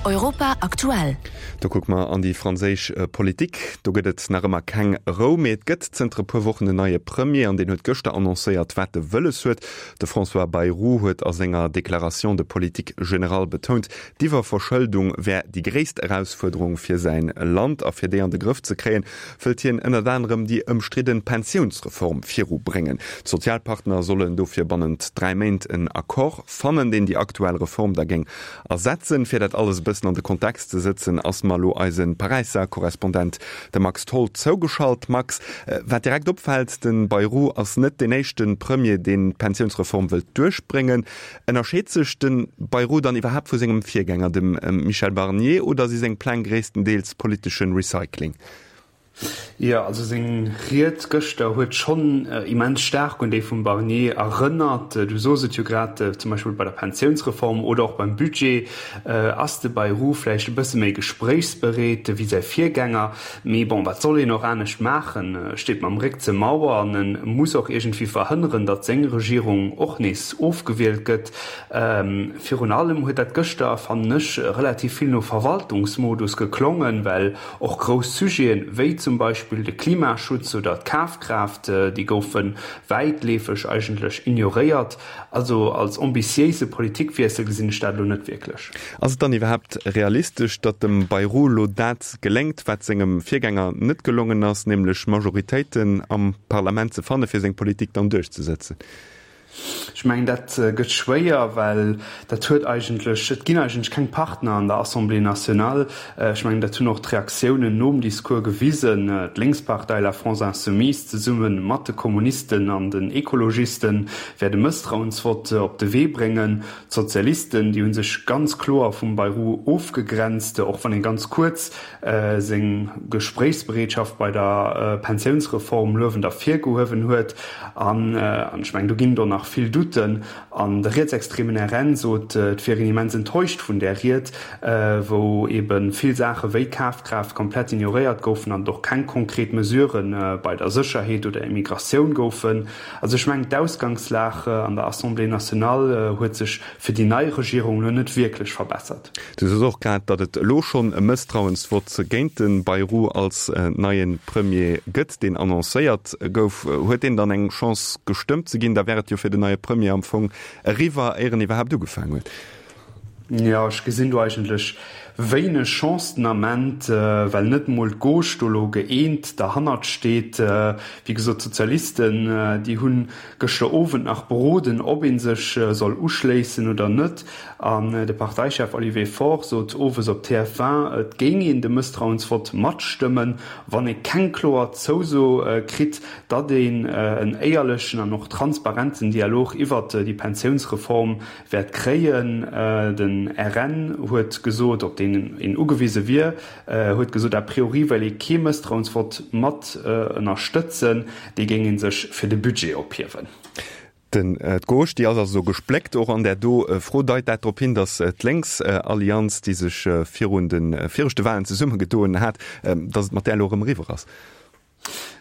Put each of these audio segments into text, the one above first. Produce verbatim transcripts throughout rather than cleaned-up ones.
Europa aktuell. Do kucke mer an déi franséisch Politik. Do gëtt et nach ëmmer keng Rou, mee et gëtt zënter e puer Wochen en neie Premier an deen huet gëschter annoncéiert, wat e wëlles huet. De François Bayrou huet a senger Déclaration de politique générale betount, d'Iwwerverschëldung wär déi gréisst Erausfuerderung fir säin Land a fir déi an de Grëff ze kréien, wëllt hien ënnert anerem déi ëmstridde Pensiounsreform virubréngen. D'Sozialpartner sollen dofir bannent dräi Méint en Accord fannen, deen déi aktuell Reform da géing ersetzen. Fir dat alles e bëssen an de Kontext ze setzen, ass mer elo eise Paräisser Korrespondent, de Max Tholl, zougeschalt. Max, wat direkt opfält, de Bayrou ass net deen éischte Premier, deen d'Pensiounsreform wëllt duerchbréngen. Ënnerscheet sech de Bayrou dann iwwerhaapt vu sengem Virgänger, dem Michel Barnier, oder si seng Pläng gréisstendeels politesche Recycling? Jo, also seng Ried gëschter huet schonn immens staark un déi vum Barnier erënnert. Du sos et jo grad, zum Beispill bei der Pensiounsreform oder och beim Budget ass de Bayrou vläicht e bësse méi gespréichsbereet wéi säi Virgänger. Mee bon, wat soll een och anescht maachen? E steet mam Réck zur Mauer an e muss och iergendwéi verhënneren, datt seng Regierung och nees ofgewielt gëtt. Virun allem huet dat gëschter, fannen ech, relativ vill no Verwaltungsmodus geklongen, well Och grouss Sujeten, wéi zum Beispill de Klimaschutz oder d'Kafkraaft, déi goufe wäitleefeg eigentlech ignoréiert. Also als ambitiéise Politikwiessel gesinn ech dat elo net wierklech. Ass et dann iwwerhaapt realistesch, datt dem Bayrou elo dat geléngt, wat sengem Virgänger net gelongen ass, nämlech Majoritéiten am Parlament ze fanne fir seng Politik dann duerchzesëtzen? Ech mengen, dat gëtt schwéier, well dat huet eigentlech, et ginn eigentlech keng Partner an der Assemblée nationale. Ech mengen, dat hunn och d'Reaktiounen nom Discours gewisen. D'Lénkspartei La France insoumise zesumme mat de Kommunisten an den Ekologisten wäert e Mësstrauensvott op de Wee bréngen. D'Sozialisten, déi hu sech ganz kloer vum Bayrou ofgegrenzt, och wann ee ganz kuerz seng Gespréichsbereetschaft bei der Pensiounsreform luewend ervirgehuewen huet. An ech mengen, do ginn et och nach vill Doutten. An de rietsextremen R N sot, et wier een immens enttäuscht vun där Ried, wou ebe vill Saache wéi Kafkraaft komplett ignoréiert goufen an et och keng konkret Mesurë bei der Sécherheet oder Immigratioun goufen. Also ech mengen, d'Ausgangslag an der Assemblée nationale huet sech fir déi nei Regierung elo net wierklech verbessert. Du soos och grad, datt et elo schonn e Mësstrauensvott géint de Bayrou als neie Premier gëtt, deen annoncéiert gouf. Huet deen dann eng Chance gestëmmt ze ginn? Da wär et jo fir den neie Premier am Fong eriwwer, éier en iwwerhaapt ugefaangen huet. Jo, ech gesinn do eigentlech wéineg Chance den Ament, well net emol d'Gauche do elo gëeent derhannert steet. Wéi gesot, d'Sozialisten, déi hu gëschter Owend nach beroden, ob ee sech soll uschléissen oder net. An de Parteichef Olivier Faure sot owes op T F un, et géing een de Mësstrauensvott matstëmmen, wann ee keng kloer Zouso kritt, datt een en éierlechen an och transparenten Dialog iwwert déi Pensiounsreform wäert kréien. Den R N huet gesot, op deen een ugewise wier, huet gesot, a priori wéilt ee kee Mësstrauensvott mat ënnerstëtzen, dee géing ee sech fir de Budget ophiewen. Den d'Gauche, déi ass also gespléckt. Och an där do Fro deit dat drop hin, datt d'Lénksallianz, déi sech virun de viregte Walen zesummegedoen hat, datt et mat där elo erëm eriwwer ass.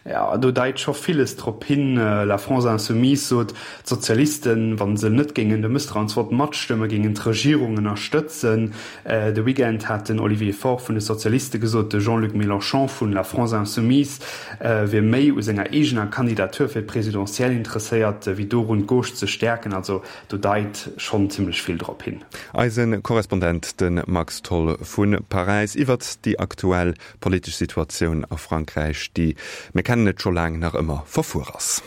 Jo, do deit scho villes drop hin. La France insoumise sot, d'Sozialisten, wa se net géingen de Mësstrauensvott matstëmmen, géingen d'Regierung ënnerstëtzen. De Weekend hat den Olivier Faure vun de Sozialiste gesot, de Jean-Luc Mélenchon vun La France insoumise wier méi u senger eegener Kandidatur fir d'Presidentielle interesséiert, wéi dorun, d'Gauche ze stäerken. Also do deit schonn zimmlech vill drop hin. Eise Korrespondent, de Max Tholl vu Paräis, iwwert déi aktuell politesch Situatioun a Frankräich, déi, mir kennen et scho laang, nach ëmmer verfuer ass.